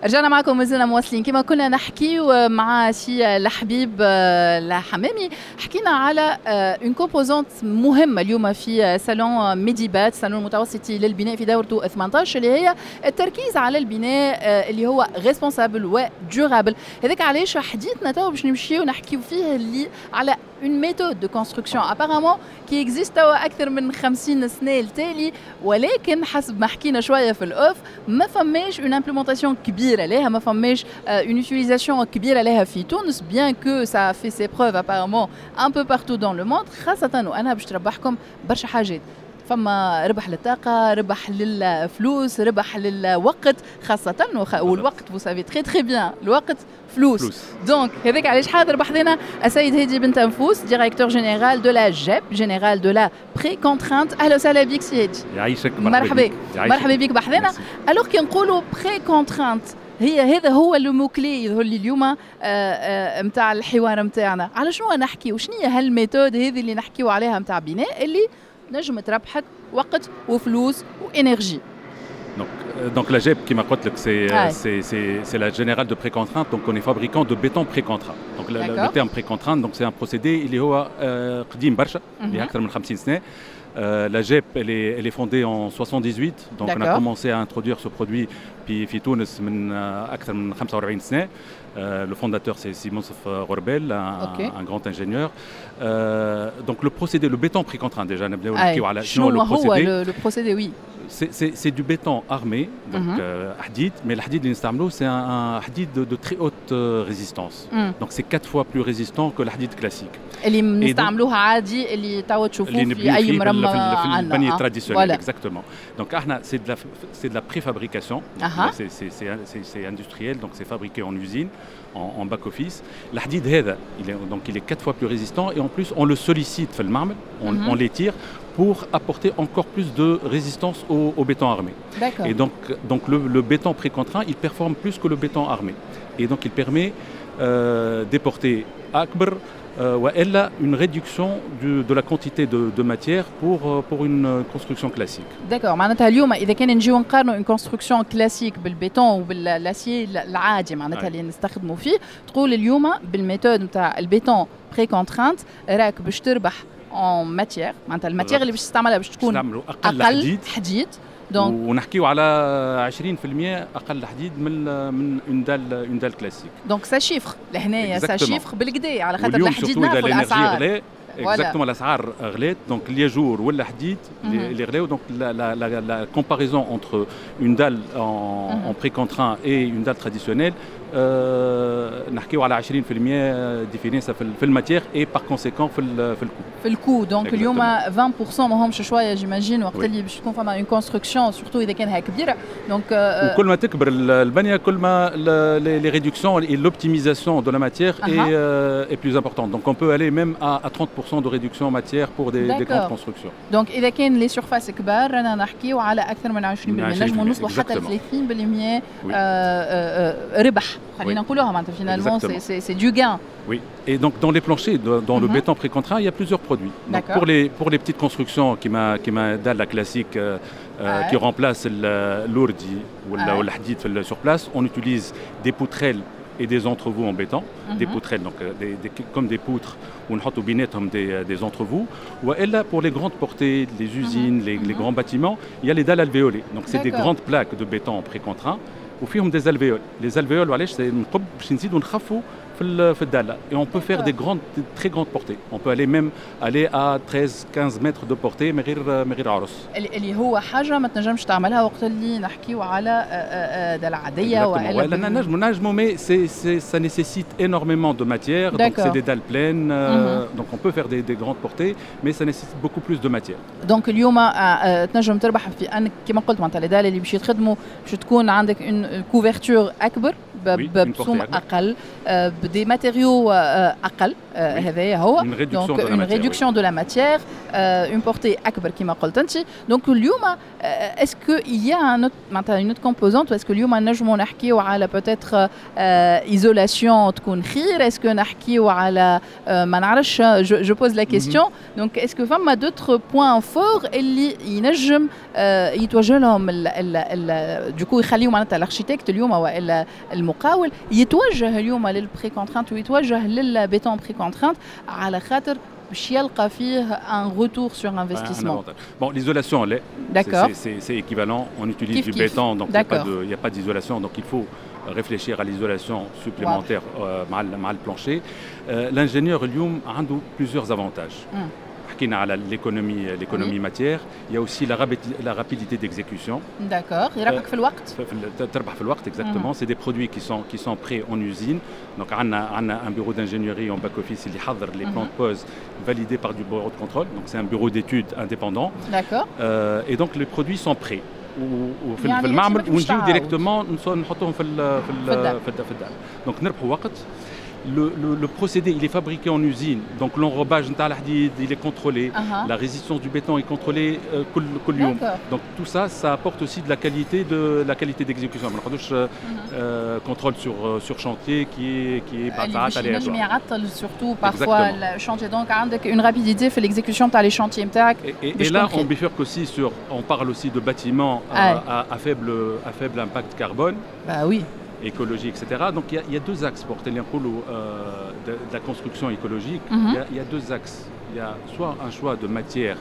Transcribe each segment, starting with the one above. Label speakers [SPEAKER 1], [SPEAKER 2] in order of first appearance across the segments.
[SPEAKER 1] رجعنا معكم، مازلنا مواصلين. كما كنا نحكيو مع سي الحبيب الحمامي، حكينا على une composante مهمة اليوم في salon Medibat، salon المتوسطي للبناء في دورته 18، اللي هي التركيز على البناء اللي هو responsable و durable. هذاك علاش حديثنا تو باش نمشيو نحكيو فيه اللي على une méthode de construction apparemment qui existe توا اكثر من 50 سنة التالي، ولكن حسب ما حكينا شوية في ال off ما فماش une implémentation كبيرة لها، ما فماش une utilisation كبيرة لها في تونس، bien que ça fait ses preuves apparemment un peu partout dans le monde، خاصة وانها باش تربحكم برشا حاجات. فما ربح للطاقة، ربح للفلوس، ربح للوقت خاصة، والوقت vous savez très très bien الوقت فلوس. donc هذاك علاش حاضر بحذنا السيد هادي بن تنفوس، directeur général de la GEP، générale de la précontrainte. اهلا وسهلا بك سي هادي.
[SPEAKER 2] يعيشك.
[SPEAKER 1] مرحبا، مرحبا بك بحذنا. alors كي نقولوا précontrainte، هي هذا هو le mot clé يظهر لي اليوم نتاع الحوار نتاعنا. على شنو نحكي وشنو هي هال méthode هذه اللي نحكيو عليها نتاع بناء اللي نجم تربحك وقت وفلوس و énergie؟
[SPEAKER 2] Donc la GEP كيما قلت لك c'est la générale de précontrainte, donc on est fabricant de béton précontraint. Donc le terme précontrainte, donc c'est un procédé اللي هو قديم برشا، اللي اكثر من 50 سنه. La GEP, elle est fondée en 78, donc on a commencé à introduire ce produit في تونس من أكثر من 45 سنة. Le fondateur, c'est سي Moncef Ghorbel, un grand ingénieur. Donc le procédé, le béton précontraint déjà,
[SPEAKER 1] شنو
[SPEAKER 2] le
[SPEAKER 1] procédé؟ Le procédé, oui.
[SPEAKER 2] C'est du béton armé, donc حديد, mais الحديد اللي نستعملوه c'est un حديد de très haute résistance. Donc c'est quatre fois plus résistant que الحديد classique.
[SPEAKER 1] اللي نستعملوها عادي، اللي توا تشوفوه في اي مرمى.
[SPEAKER 2] في البنية traditionnelle, exactement. Donc احنا c'est de la préfabrication. C'est industriel, donc c'est fabriqué en usine, en back office. الحديد هذا donc il est quatre fois plus résistant et en plus on le sollicite في المعمل, on l'étire pour apporter encore plus de résistance au béton armé. Et donc le béton précontraint, il performe plus que le béton armé. Et donc il permet des portées أكبر والا une réduction de la quantité de matière pour une construction classique.
[SPEAKER 1] D'accord. معناتها اليوم اذا كان نجيو نقارنوا une construction classique بال béton وبال l'acier العادي معناتها اللي نستخدموا فيه، تقول اليوم بال méthode نتاع ال béton précontraint راك باش تربح en matière، معناتها ال matière اللي باش تستعملها باش تكون
[SPEAKER 2] اقل، اقل حديد،
[SPEAKER 1] حديد.
[SPEAKER 2] donc ونحكيو على 20% اقل حديد من une dalle classique.
[SPEAKER 1] donc ça chiffre لهنايا، ça chiffre بالقدا على خاطر الحديد نعرفوا الاسعار.
[SPEAKER 2] exactement، الاسعار غلات، donc الياجور ولا حديد اللي غلاو، donc la comparaison entre une dalle en précontraint et une dalle traditionnelle، نحكيو على 20% différence في ال matière et par conséquent في ال coût.
[SPEAKER 1] في ال coût. donc اليوم 20% ماهمش شويه، j'imagine وقت اللي باش تكون فما une construction، surtout اذا كانها كبيره، donc
[SPEAKER 2] وكل ما تكبر البنية كل ما les réductions et l'optimisation de la matière est plus importante. Donc on peut aller même à 30% de réduction matière pour des grandes constructions.
[SPEAKER 1] Donc اذا كان les surfaces كبار رانا نحكيو على اكثر من 20%، نجموا نوصلوا حتى 30% ربح خلينا نقولوها، معناتها finalement c'est du gain.
[SPEAKER 2] Oui, et donc dans les planchers, dans le béton précontraint, il y a plusieurs produits. Donc pour les petites constructions كيما dalle classique qui remplace l'ourdi ou الحديد sur place, on utilise des poutrelles et des entrevous en béton, des poutrelles, donc comme des poutres ونحطوا بيناتهم des entrevous. والا pour les grandes portées, les usines, les grands bâtiments, il y a les dalles alvéolées. Donc c'est des grandes plaques de béton précontraint وفيهم des alvéoles. Les alvéoles علاش؟ نقب باش نزيدوا نخفوا في ال dalle et on peut faire des grandes, très grandes portées. On peut aller même aller à 13 15 mètres de portée من غير عرص.
[SPEAKER 1] اللي هو حاجة ما تنجمش تعملها وقت اللي نحكيو على dalle عادية
[SPEAKER 2] والا نجمو mais c'est ça nécessite énormément de matière, donc c'est des dalles pleines, donc on peut faire des grandes portées mais ça nécessite beaucoup plus de matière.
[SPEAKER 1] donc اليوم تنجم تربح في انك كما قلت معناتها les dalles اللي باش يتخدموا باش تكون عندك une couverture اكبر بسوم اقل. ب des matériaux اقل، هذايا هو donc une réduction de la matière, une portée اكبر كما قلت انت. donc اليوم est-ce que il y a un معناتها une autre composante؟ est-ce que اليوم نجموا نحكيو على peut-être isolation تكون خير؟ est-ce que نحكيو على ما نعرفش، je pose la question. donc est-ce que فما d'autres points forts اللي ينجم يتوجه لهم du coup يخليو معناتها ال architecte اليوم والا المقاول يتوجه اليوم لل précontrainte ويتوجه لل béton précontraint على خاطر باش يلقى فيه un retour sur investissement؟
[SPEAKER 2] Bon, l'isolation, elle est.
[SPEAKER 1] D'accord.
[SPEAKER 2] C'est équivalent. On utilise du béton, donc il n'y a pas d'isolation. Donc il faut réfléchir à l'isolation supplémentaire مع le plancher. L'ingénieur اليوم عنده plusieurs avantages. حكينا على l'économie matière, il y a aussi la rapidité d'exécution.
[SPEAKER 1] D'accord, يربحك في الوقت.
[SPEAKER 2] تربح في الوقت exactement. C'est des produits qui sont prêts en usine. Donc عندنا un bureau d'ingénierie en back office اللي يحضر les plans de pose validés par du bureau de contrôle. Donc c'est un bureau d'études indépendant. Et donc les produits sont prêts وفي يعني المعمل ونجيو directement نحطوهم في الدار. donc نربحوا وقت. Le procédé, il est fabriqué en usine, donc l'enrobage نتاع الحديد, il est contrôlé, la résistance du béton est contrôlée كل يوم. Donc tout ça, ça apporte aussi de la qualité d'exécution. ما نقعدوش contrôle sur chantier qui est
[SPEAKER 1] بعد ساعات ينجم يعطل surtout parfois le chantier. donc عندك une rapidité في l'exécution تاع les chantiers نتاعك.
[SPEAKER 2] Et là, on bifurque aussi sur, on parle aussi de bâtiments à faible impact carbone.
[SPEAKER 1] Bah oui.
[SPEAKER 2] Écologie, etc. Donc il y a deux axes pour de la construction écologique. Il y a deux axes. Il y a soit un choix de matière,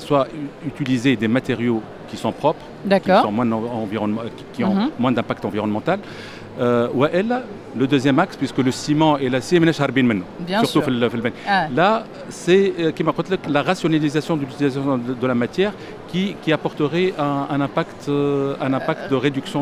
[SPEAKER 2] soit utiliser des matériaux qui sont propres, qui ont moins d'impact environnemental. والا le deuxième axe, puisque le ciment et l'acier ماناش هاربين منه surtout في البني. Là, c'est كما قلت لك la rationalisation de l'utilisation de la matière qui apporterait un impact de réduction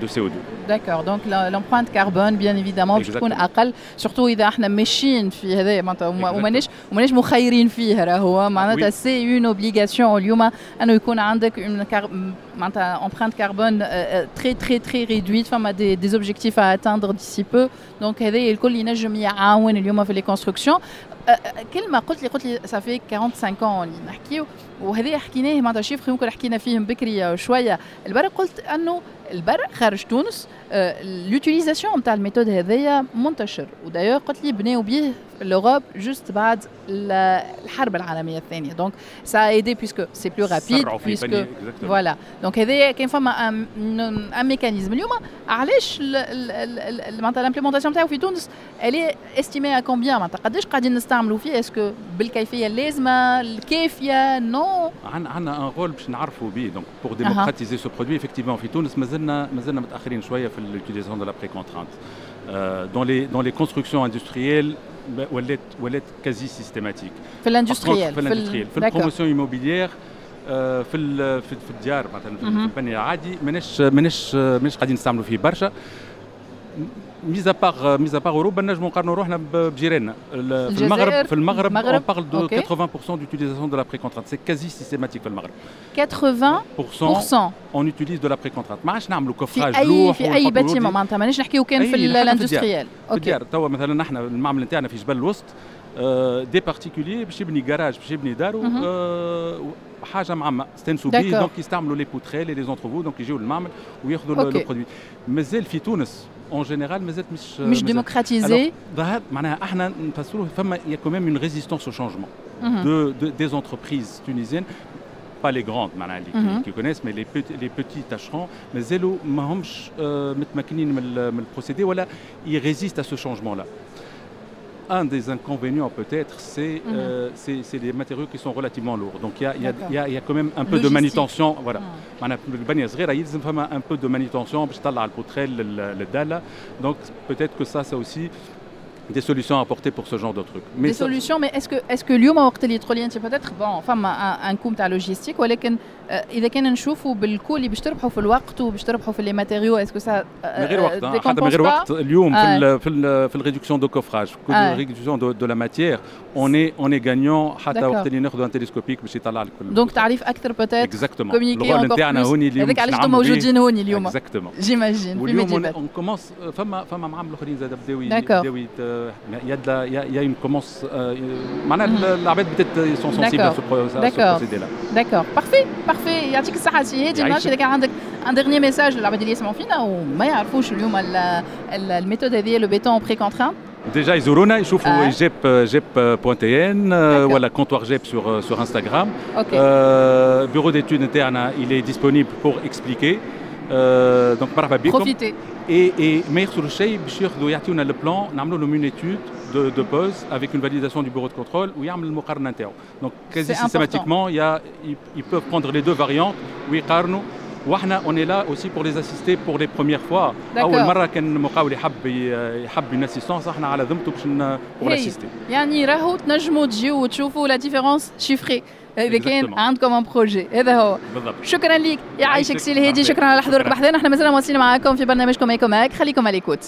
[SPEAKER 2] de CO2.
[SPEAKER 1] D'accord, donc l'empreinte carbone bien évidemment باش تكون اقل، surtout اذا احنا ماشيين في هذا معناتها وماناش مخيرين فيه، راهو معناتها c'est une obligation اليوم انه يكون عندك une معناتها empreinte carbone très très très réduite. فما des objectifs à atteindre d'ici peu، donc هذا الكل ينجم يعاون اليوم في les constructions. كلمه قلت لي ça fait 45 ans اللي نحكيو وهذا حكيناه، معناتها chiffre يمكن حكينا فيهم بكري شويه البرا. قلت انه البر خارج تونس l'utilisation نتاع ال méthode هذايا منتشر، و d'ailleurs قلت لي بناو به l'Europe juste بعد الحرب العالميه الثانيه، donc ça a aidé puisque c'est plus rapide، puisque voilà. donc هذايا كان فما un mécanisme. اليوم علاش معناتها l'implémentation نتاعو في تونس elle est estimée à combien؟ معناتها قداش قاعدين نستعملوا فيه؟ est-ce que بالكيفيه اللازمه الكافيه؟ non.
[SPEAKER 2] عندنا un rôle باش نعرفوا به، donc pour démocratiser ce produit. effectivement في تونس مازلنا متاخرين شويه في l'utilisation de la précontrainte. Dans les constructions industrielles ولات quasi systématique.
[SPEAKER 1] في l'industriel؟
[SPEAKER 2] في l'industriel. في ال promotion immobilière، في الديار مثلا، في البني العادي، ماناش قاعدين نستعملوا فيه برشا. mis à part اوروبا، نجموا نقارنوا روحنا بجيراننا في المغرب on parle de 80% d'utilisation de la précontrainte، c'est quasi systématique في المغرب.
[SPEAKER 1] 80%؟
[SPEAKER 2] on utilise de la précontrainte، ما عادش نعملوا coffrage.
[SPEAKER 1] في اي في اي bâtiment معناتها، مانيش نحكيو كان في l'industriel؟
[SPEAKER 2] في الديار. توا مثلا نحن المعمل نتاعنا في جبل الوسط، des particuliers باش يبني جراج، باش يبني دارو، حاجه معمى استانسوا به، donc يستعملوا les poutrelles، les entrevous، donc يجيو للمعمل وياخذوا le produit. مازال في تونس en général مازالت مش
[SPEAKER 1] مش démocratisé.
[SPEAKER 2] ظهر معناها احنا نفسروه فما il y a quand même une résistance au changement de des entreprises tunisiennes، pas les grandes معناها اللي qui connaissent، mais les petits tâcherons مازالوا ماهمش متمكنين من ال procédé ولا ils résistent à ce changement là. Un des inconvénients peut-être, c'est c'est les matériaux qui sont relativement lourds. Donc il y a quand même un peu de manutention. Voilà. معناها البنية صغيرة يلزم فما un peu de manutention باش تطلع ال poutrelle لل dalle. Donc peut-être que ça aussi des solutions à apporter pour ce genre de truc.
[SPEAKER 1] Mais des solutions, mais est-ce que اليوم وقت اللي تقولي انت peut-être bon فما un coût تاع logistique، ولكن اذا كان نشوفوا بال coût اللي باش تربحوا في الوقت وباش تربحوا في les matériaux، est-ce que ça
[SPEAKER 2] من غير وقت، حتى من غير وقت. اليوم في ال réduction de coffrage، réduction de la matière، on est gagnant حتى وقت اللي ناخذوا un télescopique باش يطلع لك.
[SPEAKER 1] donc تعريف اكثر peut-être.
[SPEAKER 2] exactement.
[SPEAKER 1] communiquer نتاعنا هوني اليوم، هذاك علاش انتم موجودين هوني اليوم.
[SPEAKER 2] exactement.
[SPEAKER 1] j'imagine.
[SPEAKER 2] واليوم on commence، فما معامل اخرين زاد بداو il y a une commence، معناها العباد بدات sont sensibles à ce procédé-là.
[SPEAKER 1] d'accord، parfait parfait. يعطيك الصحة سي هادي. ما نعرفش اذا كان عندك un dernier message للعباد اللي يسمعوا فينا وما يعرفوش اليوم ال méthode هذه، le béton précontraint.
[SPEAKER 2] Déjà يزورونا، يشوفوا GEP GEP.tn ولا comptoir GEP sur Instagram. Bureau d'études نتاعنا il est disponible pour expliquer. Donc مرحبا بكم.
[SPEAKER 1] Profitez.
[SPEAKER 2] Et ما يخسروا شيء باش ياخذوا يعطيونا le plan، نعملوا لهم une étude de pose avec une validation du bureau de contrôle ويعمل المقارنة نتاعو. Donc quasi systématiquement, il y a ils peuvent prendre les deux variantes ويقارنوا، واحنا on est là aussi pour les assister pour les premières fois. اول مرة كان المقاول يحب une assistance، احنا على ذمته باش pour l'assister.
[SPEAKER 1] يعني راهو تنجموا تجيو وتشوفوا la différence chiffrée اذا كان عندكم un projet. هذا هو.
[SPEAKER 2] بالضبط.
[SPEAKER 1] شكرا لك، يعيشك سي الهادي، شكرا على حضورك بحذانا. احنا مازلنا مواصلين معاكم في برنامجكم Ecomag، خليكم à l'écoute.